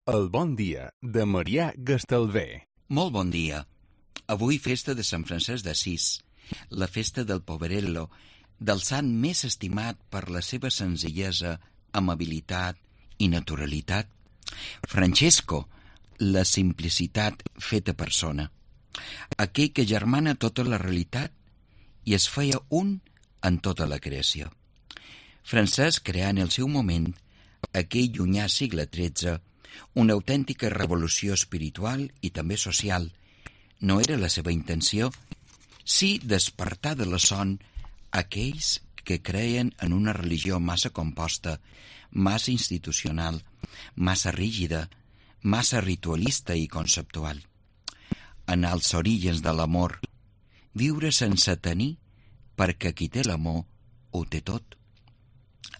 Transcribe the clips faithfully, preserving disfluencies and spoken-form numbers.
El bon dia de Marià Gastalver. Molt bon dia. Avui festa de Sant Francesc d'Assís, la festa del Poverello, del sant més estimat per la seva senzillesa, amabilitat i naturalitat. Francesco, la simplicitat feta persona. Aquell que germana tota la realitat i es feia un en tota la creació. Francesc creà en el seu moment, aquell llunyà segle tretze, una autèntica revolució espiritual i també social. No era la seva intenció, sí despertar de la son aquells que creien en una religió massa composta, massa institucional, massa rígida, massa ritualista i conceptual. Anar als orígens de l'amor, viure sense tenir, perquè qui té l'amor ho té tot.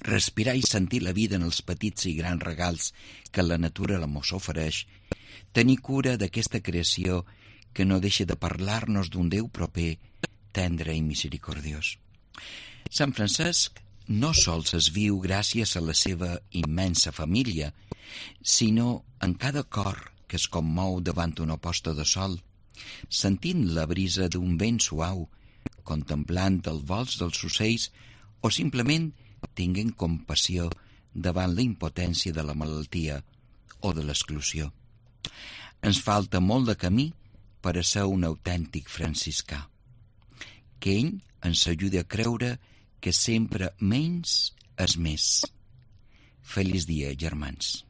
Respirar i sentir la vida en els petits i grans regals que la natura l'amor s'ofereix, tenir cura d'aquesta creació que no deixa de parlar-nos d'un Déu proper, tendre i misericordiós. Sant Francesc no sols es viu gràcies a la seva immensa família, sinó en cada cor que es commou davant una posta de sol, sentint la brisa d'un vent suau, contemplant els vols dels ocells o simplement tinguent compassió davant la impotència de la malaltia o de l'exclusió. Ens falta molt de camí per a ser un autèntic franciscà. Que ell ens ajudi a creure que sempre menys és més. Feliç dia, germans.